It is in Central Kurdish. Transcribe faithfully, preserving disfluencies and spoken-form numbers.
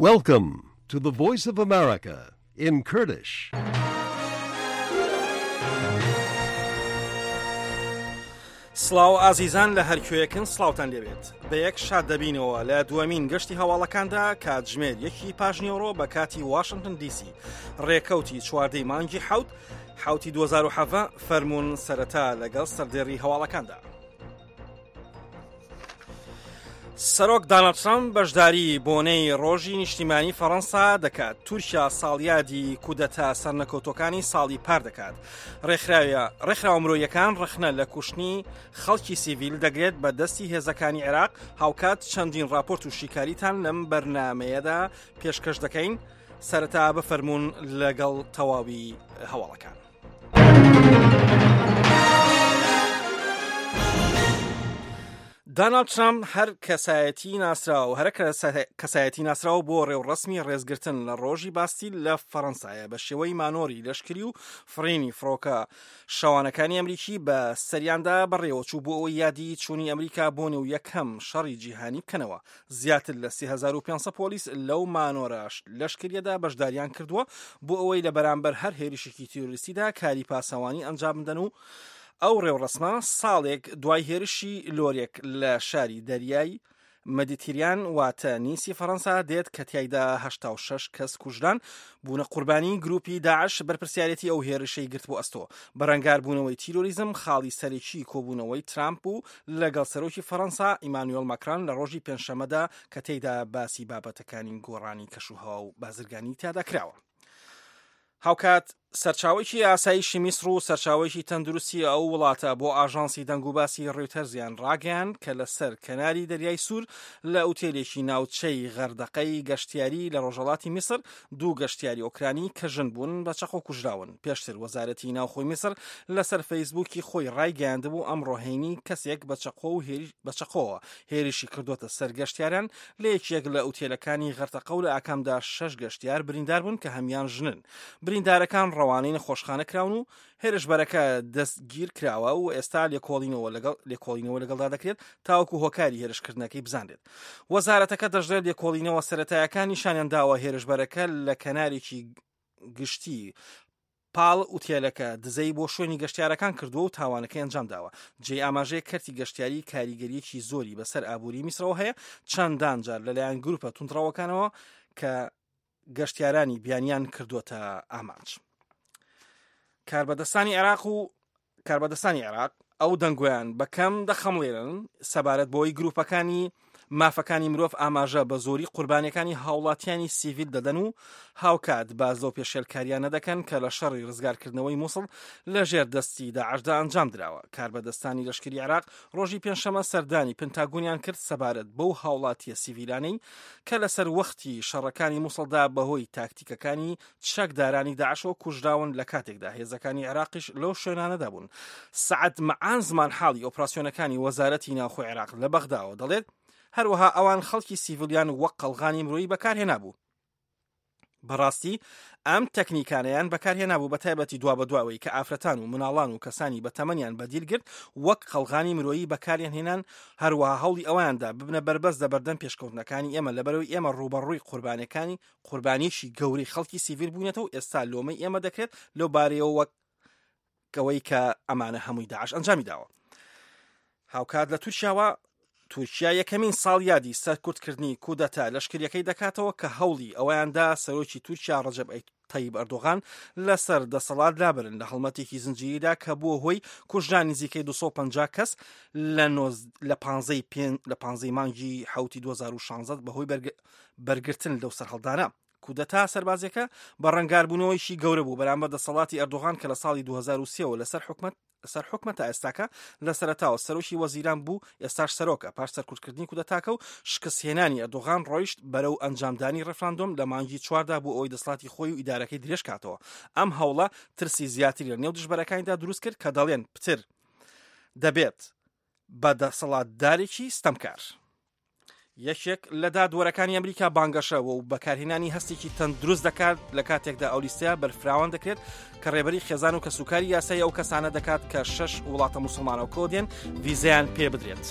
Welcome to the Voice of America in Kurdish. سڵاو ئازیزان لە هەرکوێیەکن سڵاوتان لێبێت. بە یەک شاد دەبینەوە لە دووەمین گەشتی هەواڵەکاندا کاتژمێر یەکی پاشنیوەڕۆ بە کاتی واشنگتن دیسی ڕێکەوتی چواردەی مانگی حەوت حوتی دوو هەزار و حەڤدە. فەرمونون سەرەتا لەگەڵ سەردێڕی هەواڵەکاندا. سەرۆک دانالد ترامپ بەشداری بۆنەی ڕۆژی نیشتیمانی فەڕەنسا دەکات. تورکیا ساڵیادی کودەتا سەرنەکەوتەکانی ساڵی پار دەکات. ڕێکخراوە مرۆیەکان ڕەخنە لە کوشتنی خەڵکی سیڤیل دەگرێت بە دەستی هێزەکانی عێراق. هاوکات چەندین راپۆرت و شیکاریتان لەم بەرنمەیەدا پێشکەش دەکەین. سەرەتا بفەرمونون لەگەڵ تەواوی هەواڵەکان. دانالد ترامپ هەر کەسایەتی ناسراو هەر کەسایەتی ناسراو بۆ ڕێوڕەسمی ڕێزگرتن لە ڕۆژی باستیل لە فەڕەنسایە بە شێوەی مانۆری لەشکری و فڕینی فڕۆکە شەوانەکانی ئەمریکی بە سەریاندا بەڕێوەچوو بۆ ئەوەی یادی چوونی ئەمریکا بۆ نێو یەکەم شەڕی جیهانی بکەنەوە. زیاتر لە سێ هەزار و پێنج سەد پۆلیس لەو مانۆرە لەشکریەدا بەشداریان کردووە بۆ ئەوەی لە بەرامبەر هەر هێرشێکی تیرۆریستیدا کاری پاسەوانی ئەنجام بدەن و ئەو ڕێوڕەسمە ساڵێک دوای هێرشی لۆرێک لە شاری دەریای مەدیتریان واتە نیسی فەڕەنسا دێت کە تیایدا هەشتا و شەش کەس کوژران بوونە قوربانی گروپی داعش بەرپرسیارەتی ئەو هێرشەی گرت بۆ ئەستۆ. بەرەنگاربوونەوەی تیرۆریزم خاڵی سەرەکی کۆبوونەوەی ترامپ بوو لەگەڵ سەرۆکی فەڕەنسا ئیمانوێل ماکران لە ڕۆژی پێنجشەممەدا کە تێیدا باسی بابەتەکانی گۆڕانی کەشوهەوا و بازرگانی تیادا کراوە. هاوکات سەرچاوەیەکی ئاسایشی میسر و سەرچاوەیەکی تەندروستی ئەو وڵاتە بۆ ئاژانسی دەنگوباسی ڕیوتەرزیان ڕاگەیان کە لەسەر کەناری دەریای سوور لە ئوتێلێکی ناوچەی غەردەقەی گەشتیاری لە ڕۆژهەڵاتی میسر دوو گەشتیاری ئۆکرانی کە ژن بوون بە چەقۆ کوژراون. پێشتر وەزارەتی ناوخۆی میسر لەسەر فەیسبووکی خۆی ڕایگەیاندبوو ئەمڕۆ هەینی کەسێک بە چەقۆ و بە چەقۆوە هێرشی کردووەتە سەر گەشتیاران لە یەکێک لە ئوتێلەکانی غەردەقە و لە ئاکامدا شەش گەشتیار بریندار بوون کە هەمیان ژنن. بریندارەکان ڕەوانەی نەخۆشخانە کراون و هێرشبەرەکە دەستگیر کراوە و ئێستا لێکۆڵینەوە لەگەڵ لێکۆڵینەوە لەگەڵدا دەکرێت تاوەکو هۆکاری هێرشکردنەکەی بزانرێت. وەزارەتەکە دەشڵێت لێکۆڵینەوە سەرەتایەکان نیشانیان داوە هێرشبەرەکە لە کەنارێکی گشتی پاڵ ئوتێلەکە دزەی بۆ شوێنی گەشتیارەکان کردووە و تاوانەکەی ئەنجام داوە. جێی ئاماژەیە کەرتی گەشتیاری کاریگەریەکی زۆری بەسەر ئابووری میسرەوە هەیە، چەندان جار لەلایەن گروپە توندڕەوەکانەوە کە گەشتیارانی بیانیان کردووەتە ئامانج. کاربەدەستانی عێراق و کاربەدەستانی عێراق ئەو دەنگۆیان بەکەم دەخەمڵێنن سەبارەت بۆی گروپەکانی مافەکانی مرۆڤ ئاماژە بە زۆری قوربانیەکانی هاوڵاتیانی سیڤیل دەدەن و هاوکات باز لەو پێشێلکاریانە دەکەن کە لە شەڕی ڕزگارکردنەوەی موسڵ لەژێر دەستی داعشدا ئەنجام دراوە. کاربەدەستانی لەشکری عێراق ڕۆژی پێنجشەممە سەردانی پنتاگۆنیان کرد سەبارەت بەو هاوڵاتیە سیڤیلانەی کە لەسەر وەختی شەڕەکانی موسڵدا بەهۆی تاکتیکەکانی چەکدارانی داعشەوە کوژراون لە کاتێکدا هێزەکانی عێراقیش لەو شوێنانەدا بوون. سەعد مەعان زمانحاڵی ئۆپراسیۆنەکانی وەزارەتی ناوخۆی عێراق لە بەغداوە دەڵێت هەروەها ئەوان خەڵکی سیڤیلیان وەک قەڵغانی مرۆیی بەکارهێنابوو. بەڕاستی ئەم تەکنیکانەیان بەکارهێنابوو بە تایبەتی دوا بەدواوەی کە ئافرەتان و مناڵان و کەسانی بەتەمەنیان بەدیل گرت وەک قەڵغانی مرۆیی بەکاریان هێنان. هەروەها هەوڵی ئەویاندا ببنە بەربەست لە بەردەم پێشکەوتنەکانی ئێمە لەبەرەوەی ئێمە ڕووبەڕووی قوربانیەکانی قوربانیشی گەورەی خەڵکی سیڤیل بووینەتەوە و ئێستا لۆمەی ئێمە دەکرێت لەو بارەیەوە وەک ئەوەی کە ئەمانە هەمووی داعش ئەنجامی داوە. هاوکات لە تورکیاوە تورکیا یەکەمین ساڵیادی سەرکوتکردنی کودەتا لەشکریەکەی دەکاتەوە کە هەوڵی ئەوەیاندا سەرۆکی تورکیا ڕەجەب تەیب ئەردۆغان لەسەر دەسەڵات لابرن لە هەڵمەتێکی زنجیریدا کە بووە هۆی کوژرانی نزیکەی دوو سەد و پەنجا کەس لە پانزەی مانگی حەوتی دوو هەزار و شانزە بەهۆی بەرگرتن لەو سەرهەڵدانە. کودەتا سەربازیەکە بە ڕەنگاربوونەوەیشی گەورە بوو بەرامبەر دەسەڵاتی ئەردۆغان کە لە ساڵی دوو هەزار و سێ لەسەر حکومەت سەر حکومەت تا ئێستاکە لە سەرەتاوە سەرۆکی وەزیران بوو، ئێستاش سەرۆکە. پاش سەرکوتکردنی کودەتاکە و شکستهێنانی ئەردۆغان ڕۆیشت بەرەو ئەنجامدانی ڕێفراندۆم لە مانگی چواردا بۆ ئەوەی دەسەڵاتی خۆی و ئیدارەکەی درێژ کاتەوە. ئەم هەوڵە ترسی زیاتری لە نێو دژبەرەکانیدا دروست کرد کە دەڵێن پتر دەبێت بە دەسەڵاتدارێکی ستەمکار. یەکێک لە دادوەرەکانی ئەمریکا بانگەشە و بەکارهێنانی هەستێکی تەندروست دەکات لە کاتێکدا ئەو لیستەیە بەرفراوان دەکرێت کە ڕێبەری خێزان و کەسوکاری یاسایی ئەو کەسانە دەکات کە شەش وڵاتە موسڵمانەوەکەوە دێن ڤیزەیان پێ بدرێت.